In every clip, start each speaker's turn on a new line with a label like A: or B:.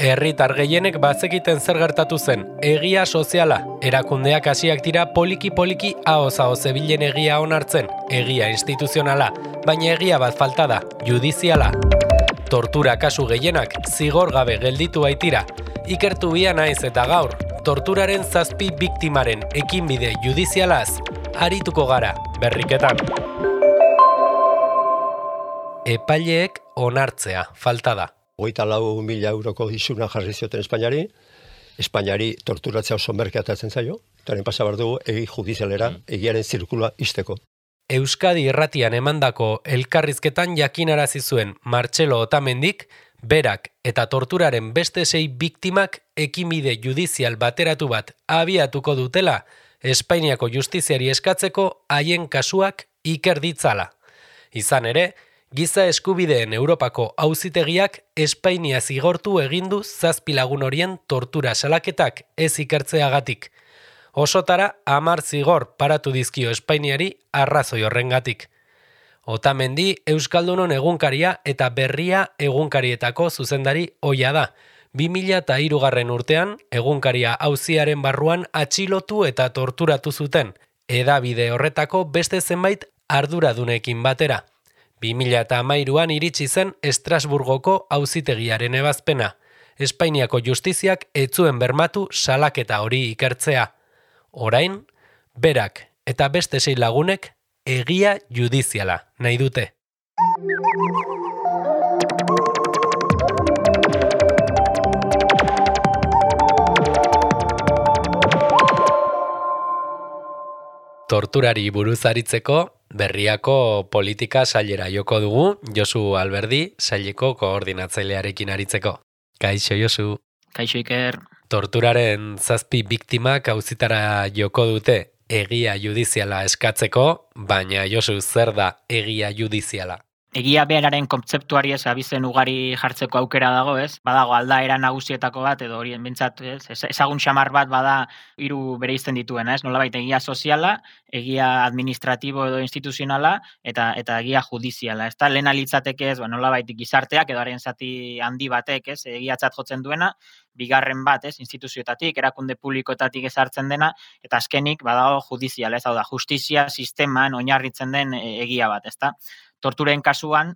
A: Herritar gehienek bazekiten zer gertatu zen, egia soziala. Erakundeak hasiak dira poliki-poliki ahoz zebilen egia onartzen, egia instituzionala, baina egia bat falta da, judiziala. Tortura kasu gehienak zigor gabe gelditu baitira. Ikertu bia naiz eta gaur, torturaren 7 biktimaren ekinbide judizialaz, arituko gara, berriketan. Epaileek onartzea falta da.
B: 24.000 euroko izuna jarri zioten Espainiari torturatzea oso merkeatatzen zaio, eta pasa behar dugu egi judizialera, egiaren zirkulua izteko.
A: Euskadi irratian emandako elkarrizketan jakinarazi zuen Martxelo Otamendik, berak eta torturaren beste 6 biktimak ekinbide judizial bateratu bat abiatuko dutela, Espainiako justiziari eskatzeko haien kasuak iker ditzala. Izan ere, Giza eskubideen Europako auzitegiak Espainia zigortu egindu 7 lagun horien tortura salaketak ez ikertzeagatik. Osotara 10 zigor paratu dizkio Espainiari arrazoi horrengatik. Otamendi Euskaldunon egunkaria eta Berria egunkarietako zuzendari ohia da. 2003 urtean egunkaria auziaren barruan atxilotu eta torturatu zuten, hedabide horretako beste zenbait arduradunekin batera. 2013an iritsi zen Estrasburgoko auzitegiaren ebazpena. Espainiako justiziak ez zuen bermatu salaketa hori ikertzea. Orain, berak eta beste 6 lagunek egia judiziala nahi dute. Torturari buruz aritzeko, Berriako politika sailera joko dugu, Josu Alberdi, saileko koordinatzailearekin aritzeko. Kaixo, Josu.
C: Kaixo, Iker.
A: Torturaren 7 biktimak auzitara joko dute egia judiziala eskatzeko, baina Josu, zer da egia judiziala?
C: Egia beraren kontzeptuari abizen ugari jartzeko aukera dago, ez? Badago aldaera nagusietako bat, edo horien bintzat, ezagun xamar bat bada 3 bereizten dituena, ez? Nolabait egia soziala, egia administratibo edo instituzionala, eta egia judiziala, ez da? Lehen litzateke ez, nolabait gizarteak edo haren zati handi batek, ez? Egiatzat jotzen duena, bigarren bat, ez? Instituzioetatik, erakunde publikoetatik ezartzen dena, eta azkenik badago judiziala, ez? Hau da, justizia sisteman oinarritzen den egia bat, ez da? Torturen kasuan,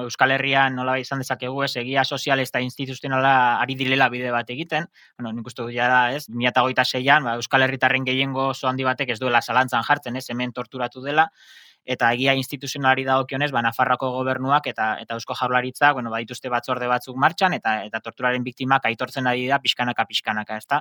C: Euskal Herrian nola izan dezakegu ez, egia sozial eta instituzionala ari direla bide bat egiten. Nik uste dut da, ez, 2026an, Euskal Herritarren gehiengo oso handi batek ez duela zalantzan jartzen, ez, hemen torturatu dela, eta egia instituzionalari dagokionez, Nafarroako gobernuak eta Eusko Jaurlaritzak, badituzte batzorde batzuk martxan, eta torturaren biktimak aitortzen ari da pixkanaka, ezta?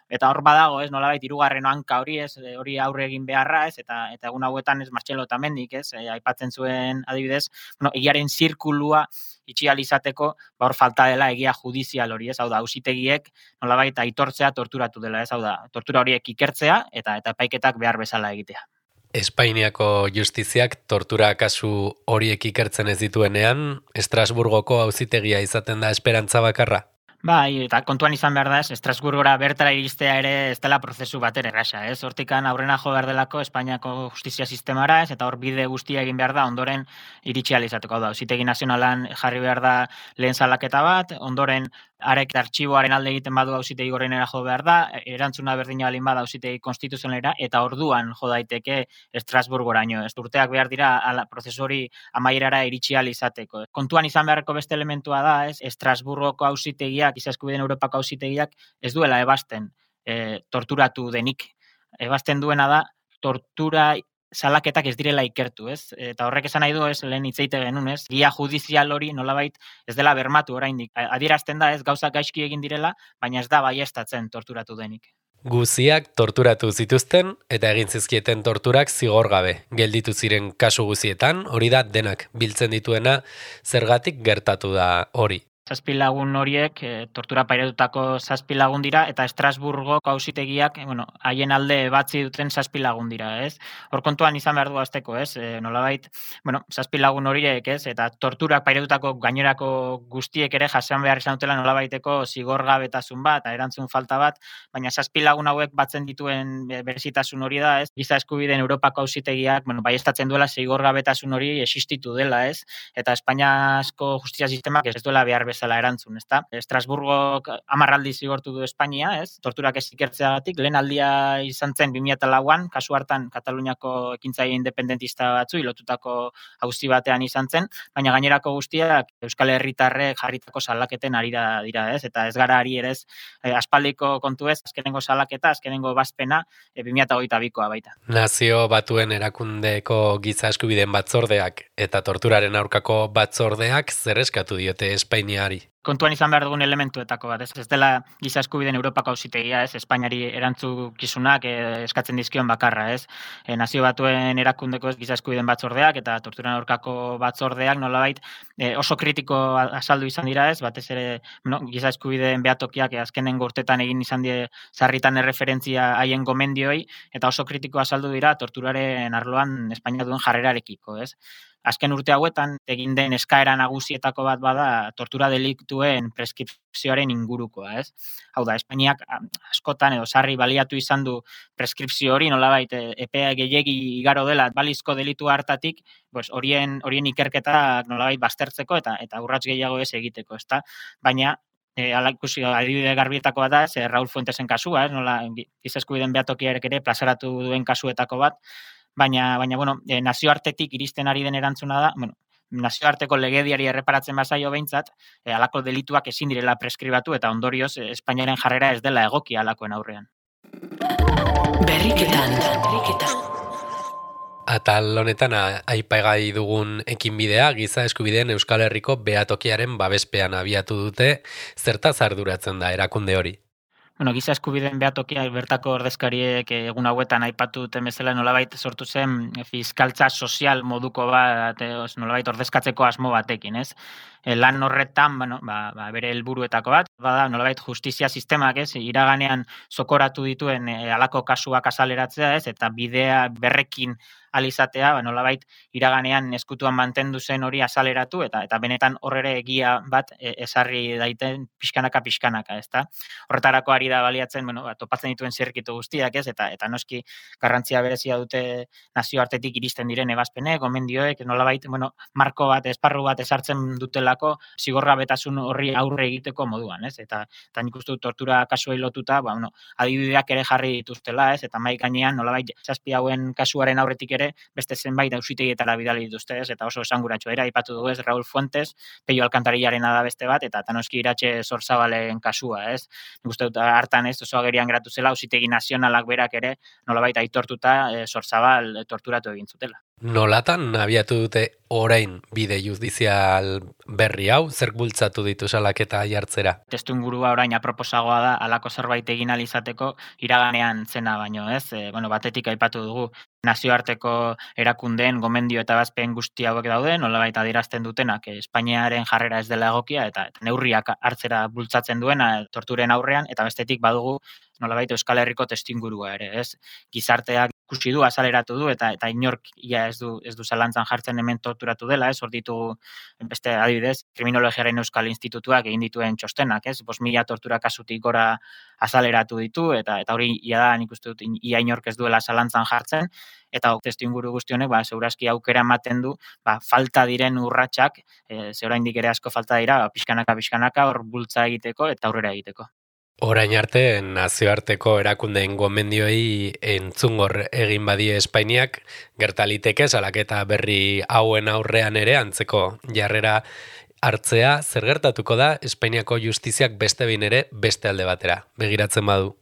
C: Eta hor badago, ez, nolabait 3. hanka hori, ez, hori aurre egin beharra, ez, eta egun hauetan, ez, Martxelo Otamendik, ez, aipatzen zuen adibidez, egiaren zirkulua itxial izateko, hor falta dela egia judizial hori, ez, hau da, auzitegiek nolabait aitortzea torturatu dela, ez, hau da, tortura horiek ikertzea eta epaiketak behar bezala egitea.
A: Espainiako justiziak tortura kasu horiek ikertzen ez dituenean, Estrasburgoko auzitegia izaten da esperantza bakarra?
C: Bai, eta kontuan izan behar da, ez, Estrasburgora bertara iristea ere ez dela prozesu bater erraza, ez? Hortikan aurrena jo behar delako Espainiako justizia sistemara, ez, eta hor bide guztia egin behar da, ondoren iritsi ahal izateko da. Auzitegi nazionalan jarri behar da lehen salaketa bat, ondoren arek artxiboaren alde egiten badu auzitegi gorenera jo behar da, erantzuna berdina balin bada auzitegi konstituzionalera, eta orduan jo daiteke Estrasburgoraino. Ez urteak behar dira prozesu hori amaierara iritsi ahal izateko. Kontuan izan beharreko beste elementua da, ez, Estrasburgoko auzitegiak, Giza eskubideen Europako auzitegiak ez duela ebasten torturatu denik. Ebasten duena da tortura salaketak ez direla ikertu, ez? Eta horrek esan nahi du, ez, lehen hitzeite genuen, ez? Egia judizial hori nolabait ez dela bermatu oraindik. Adierazten da, ez, gauzak gaizki egin direla, baina ez da baieztatzen torturatu denik.
A: Guziak torturatu zituzten eta egin zizkieten torturak zigor gabe. Gelditu ziren kasu guzietan, hori da denak biltzen dituena, zergatik gertatu da hori.
C: 7 lagun horiek tortura pairatutako 7 lagun dira, eta Estrasburgoko auzitegiak, haien alde batzi duten 7 lagun dira, ez? Hor kontuan izan behar du azteko, ez? Nolabait, 7 lagun horiek, ez? Eta torturak pairatutako gainerako guztiek ere jasan behar izan dutela nolabaiteko zigorgabetasun bat, erantzun falta bat, baina 7 lagun hauek batzen dituen berezitasun hori da, ez? Giza eskubideen Europako auzitegiak, baieztatzen duela zigorgabetasun hori existitu dela, ez? Eta Espainiako justizia sistemak ez duela behar bezala erantzun, ezta? Estrasburgok 10 aldiz zigortu du Espainia, ez? Torturak ez ikertzeagatik, lehen aldia izan zen 2004an, kasu hartan Kataluniako ekintzaile independentista batzu lotutako auzi batean izan zen, baina gainerako guztiak Euskal Herritarrek jarritako salaketen arira dira, ez? Eta ez gara ari ere ez aspaldiko kontu ez, azkenengo salaketa, azkenengo bazpena 2022koa baita.
A: Nazio Batuen Erakundeko Giza Eskubideen Batzordeak eta torturaren aurkako batzordeak zer eskatu diote Espainiari?
C: Kontuan izan behar dugun elementuetako bat, ez dela Giza Eskubideen Europako auzitegia, ez Espainiari erantzukizunak eskatzen dizkion bakarra, ez? Nazio Batuen Erakundeko Giza Eskubideen Batzordeak eta torturan aurkako batzordeak nolabait oso kritiko azaldu izan dira, ez? Batez ere, Giza Eskubideen behatokiak azkenengo urtetan egin izan die sarritan erreferentzia haien gomendioi eta oso kritiko azaldu dira torturaren arloan Espainia duen jarrerarekiko, ez? Azken urte hauetan egin den eskaera nagusietako bat bada tortura deliktuen preskripzioaren ingurukoa, ez? Hau da, Espainiak askotan edo sarri baliatu izan du preskripzio hori, nolabait epea gehiegi igaro dela balizko delitu hartatik, horien ikerketa nolabait baztertzeko eta urrats gehiago ez egiteko, ezta? Baina ikusi adibide garbietako bat da, Raúl Fuentesen kasua, ez? Nola Giza Eskubideen behatokiarek ere plazaratu duen kasuetako bat, baina nazioartetik iristen ari den erantzuna da, nazioarteko legediari erreparatzen bazaio behintzat, halako delituak ezin direla preskribatu eta ondorioz Espainiaren jarrera ez dela egokia halakoen aurrean.
A: Berriketan. Atal honetan aipagai dugun ekinbidea Giza Eskubideen Euskal Herriko behatokiaren babespean abiatu dute, zertaz arduratzen da erakunde hori?
C: Giza Eskubideen behatokia bertako ordezkariek egun hauetan aipatu duten bezala nolabait sortu zen fiskaltza sozial moduko bat, nolabait ordezkatzeko asmo batekin, ez? Lan horretan, bere helburuetako bat, bada nolabait justizia sistemak, ez? Iraganean zokoratu dituen halako kasuak azaleratzea, ez? Eta bidea berrekin alizatea, nolabait iraganean eskutuan mantendu zen hori azaleratu eta benetan horrere egia bat esarri daiten pixkanaka, ezta? Horretarako ari da baliatzen, topatzen dituen zirrikitu guztiak, ez? Eta noski garrantzia berezia dute nazioartetik iristen diren ebazpenek, gomendioek, nolabait, marko bat, esparru bat esartzen dutelako zigorgabetasun horri aurre egiteko moduan, ez? Eta nik uste dut tortura kasuei lotuta, adibideak ere jarri dituztela, ez? Eta mahai gainean nolabait 7 hauen kasuaren aurretik ere beste zenbait auzitegietara bidali dituzte, ez? Eta oso esanguratsua era aipatu dugu, ez? Raúl Fuentes, Pello Alcantarillarena da beste bat eta noski Iratxe Zorzabalen kasua, ez? Nik uste dut hartan ez oso agerian geratu zela auzitegi nazionalak berak ere nolabait aitortuta Zorzabal torturatu egin zutela.
A: Nolatan abiatu dute orain bide judizial berri hau, zer bultzatu ditu salaketa jartzera?
C: Testuingurua orain aproposagoa da halako zerbait egin ahal izateko iraganean zena baino, ez? Batetik aipatu dugu nazioarteko erakundeen gomendio eta bazpen guzti hauek daude, nolabait adierazten dutenak Espainiaren jarrera ez dela egokia eta neurriak hartzera bultzatzen duena torturen aurrean, eta bestetik badugu nolabait Euskal Herriko testuingurua ere, ez? Gizarteak ikusi du, azaleratu du eta inork ia ez du zalantzan jartzen hemen torturatu dela, ez? Hor ditugu beste adibidez, Kriminologiaren Euskal Institutuak egin dituen txostenak, ez? 5.000 tortura kasutik gora azaleratu ditu eta hori ia da nik uste dut ia inork ez duela zalantzan jartzen. Eta testuinguru guzti honek, segurazki aukera ematen du, falta diren urratsak, ze oraindik ere asko falta dira, pixkanaka hor bultza egiteko eta aurrera egiteko.
A: Orain arte, nazioarteko erakundeen gomendioei entzungor egin badie Espainiak, gertaliteke salaketa berri hauen aurrean ere antzeko jarrera hartzea, zer gertatuko da Espainiako justiziak beste behin ere beste alde batera, begiratzen badu?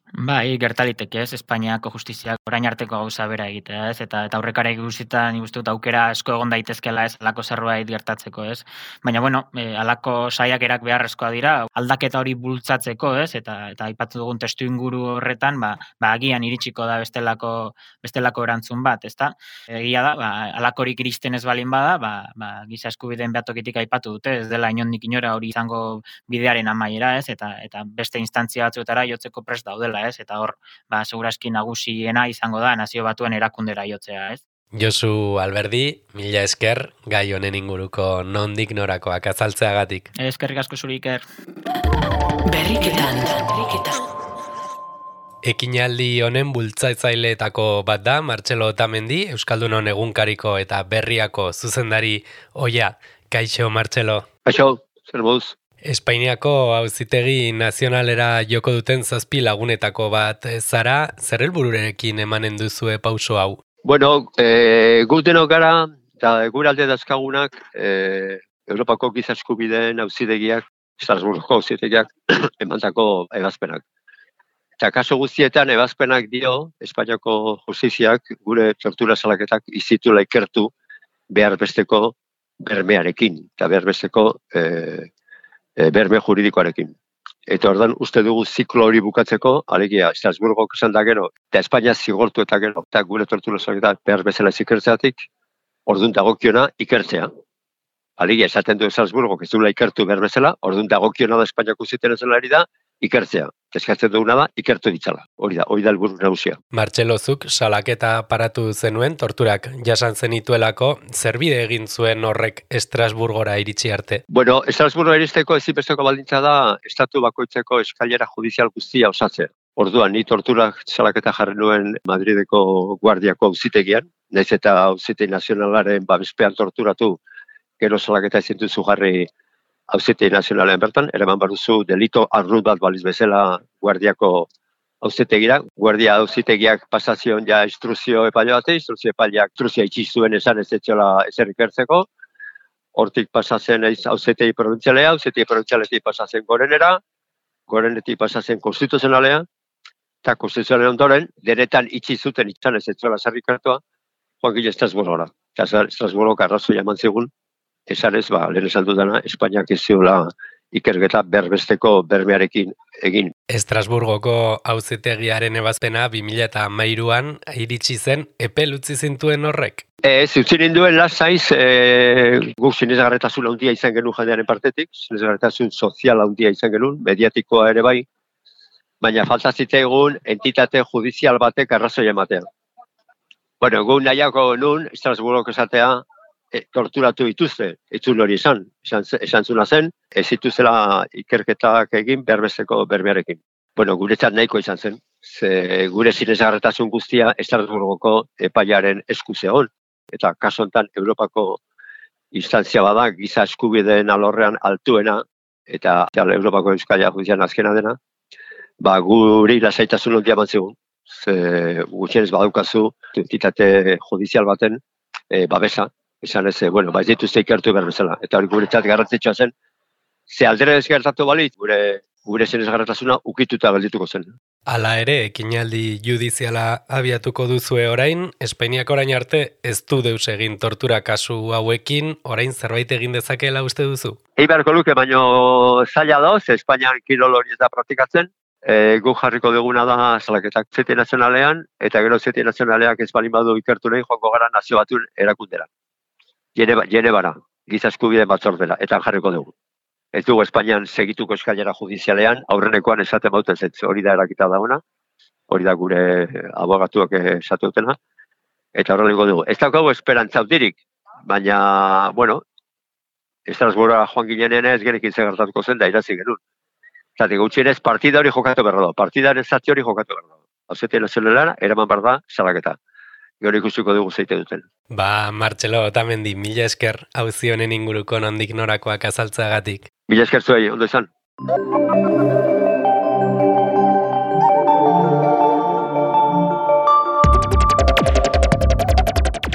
C: Bai, gertaliteke, ez? Espainiako justiziak orain arteko gauza bera egitea, ez? Eta aurrekarek guztietan nik uste dut aukera asko egon daitezkela, ez? Halako zerbait gertatzeko, ez? Baina halako saiakerak beharrezkoa dira, aldaketa hori bultzatzeko, ez? Eta aipatu dugun testuinguru horretan, agian iritsiko da bestelako erantzun bat, ezta? Egia da, halakorik iristen ez balin bada, Giza Eskubideen behatokitik aipatu dute, ez dela inondik inora hori izango bidearen amaiera, ez? Eta beste instantzia batzuetara jotzeko prest daudela, ez? Eta hor, segurazki nagusiena izango da Nazio Batuen erakundera jotzea, ez?
A: Josu Alberdi, mila esker, gai honen inguruko nondik norakoak azaltzeagatik.
C: Eskerrik asko zuri, Iker.
A: Berriketan. Ekinaldi honen bultzatzaileetako bat da Martxelo Otamendi, Euskaldunon egunkariko eta berriako zuzendari oia. Kaixo, Martxelo.
D: Kaixo,
B: zer moduz?
A: Espainiako Auzitegi Nazionalera joko duten 7 lagunetako bat zara, zer helbururekin emanen duzue pauso hau?
B: Bueno, gu denok gara, eta gure alde dazkagunak, Europako giza eskubideen auzitegiak, Estrasburgoko auzitegiak emandako ebazpenak. Eta kaso guztietan ebazpenak dio, Espainiako justiziak gure tortura salaketak izitula ikertu behar besteko bermearekin, eta behar besteko berme juridikoarekin. Eta ordan uste dugu ziklo hori bukatzeko, alegia, Estrasburgok esan da gero, eta Espainia zigortu eta gero, eta gure tortura salaketak behar bezala ikertzeatik, orduan dagokiona ikertzea. Alegia, esaten du Estrasburgok ez duela ikertu behar bezala, orduan dagokiona da Espainiako ziten ezelari da, ikertzea. Eskatzen duguna da, ikertu ditzala. Hori da helburu nagusia.
A: Martxelo, zuk salaketa paratu zenuen, torturak jasan zenituelako, zer bide egin zuen horrek Estrasburgora iritsi arte?
B: Bueno, Estrasburgora iristeko ezinbesteko baldintza da, estatu bakoitzeko eskailera judizial guztia osatzea. Orduan, ni torturak salaketa jarri nuen Madrideko guardiako auzitegian, naiz eta auzitegi nazionalaren babespean torturatu, gero salaketa ezin duzu jarri Auzitegi Nazionalean bertan, eraman baduzu delito arrut bat baliz bezala guardiako auzitegira. Guardia auzitegiak pasazion ja instruzio epaile bate, instruzio epaileak instruzioa itxi zuen esan ez etxola ezer ikertzeko. Hortik pasatzen auzitegi probintzialea, auzitegi probintzialetik pasatzen gorenera, gorenetik pasatzen konstituzionalea, eta konstituzionalea ondoren, denetan itxi zuten izan ez etxola zer ikertua, joan gile Estrasburgora. Eta Estrasburgok arrazoia eman zigun, esan ez, lehen esan dudana, Espainiak ez ziola ikerketa berbesteko bermearekin egin.
A: Estrasburgoko auzitegiaren ebazpena 2013an iritsi zen, epel utzi zintuen horrek?
B: Ez, utzi ninduen lasaiz, guk sinesgarritasun handia izan genuen jendearen partetik, sinesgarritasun sozial handia izan genuen, mediatikoa ere bai, baina falta zitzaigun entitate judizial batek arrazoia ematea. Bueno, gu nahiako nun, Estrasburgok esatea, torturatu dituzte, itzul hori esan zuna zen, ez dituzela ikerketak egin berbesteko bermearekin. Bueno, guretzat nahiko izan zen, gure sinesgarritasun guztia Estrasburgoko epaiaren esku zegoen, eta kaso honetan Europako instantzia bada giza eskubideen alorrean altuena, eta Europako Euskalia judizian azkena dena, guri lasaitasun handia eman zigun, gutxienez badaukazu entitate judizial baten babesa, esan ez, ez dituzte ikertu behar bezala. Eta hori guretzat garrantzitsua zen, ze aldera ez gertatu balit, gure sinesgarritasuna ukituta geldituko zen.
A: Hala ere, ekinaldi judiziala abiatuko duzue orain, Espainiak orain arte ez du deus egin tortura kasu hauekin, orain zerbait egin dezakeela uste duzu?
B: Beharko luke, baino zaila da, ze Espainian kirol hori ez da praktikatzen, gu jarriko duguna da salaketak Auzitegi Nazionalean, eta gero Auzitegi Nazionaleak ez balin badu ikertu nahi joango gara Nazio Batuen erakundera. Genebara, giza eskubideen batzordera, eta jarriko dugu. Ez dugu Espainian segituko eskailera judizialean, aurrenekoan esaten bauten zetz, hori da erakita dagoena, hori da gure abogatuak esatu dutena, eta horreliko dugu. Ez daukagu esperantza handirik, baina, Estrasburgora joan ginenean ez gerekin zegertatuko zen, da irazi genuen. Zatik, gutxienez, partida hori jokatu behar da, partidaren zati hori jokatu behar da. Auzitegi Nazionalera, eraman behar da, salaketa. Gero ikusiko dugu zeite duten.
A: Martxelo Otamendi, mila esker auzi honen inguruko nondik norakoak azaltzeagatik.
B: Mila esker zuei, ondo izan.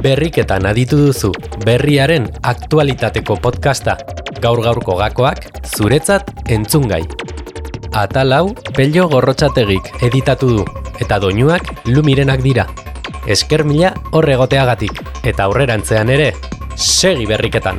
A: Berriketan aditu duzu, berriaren aktualitateko podcasta. Gaur-gaurko gakoak, zuretzat entzungai. Atal hau, Pello Gorrotxategik editatu du, eta doinuak Lumirenak dira. Esker mila horregoteagatik, eta aurrerantzean ere, segi berriketan.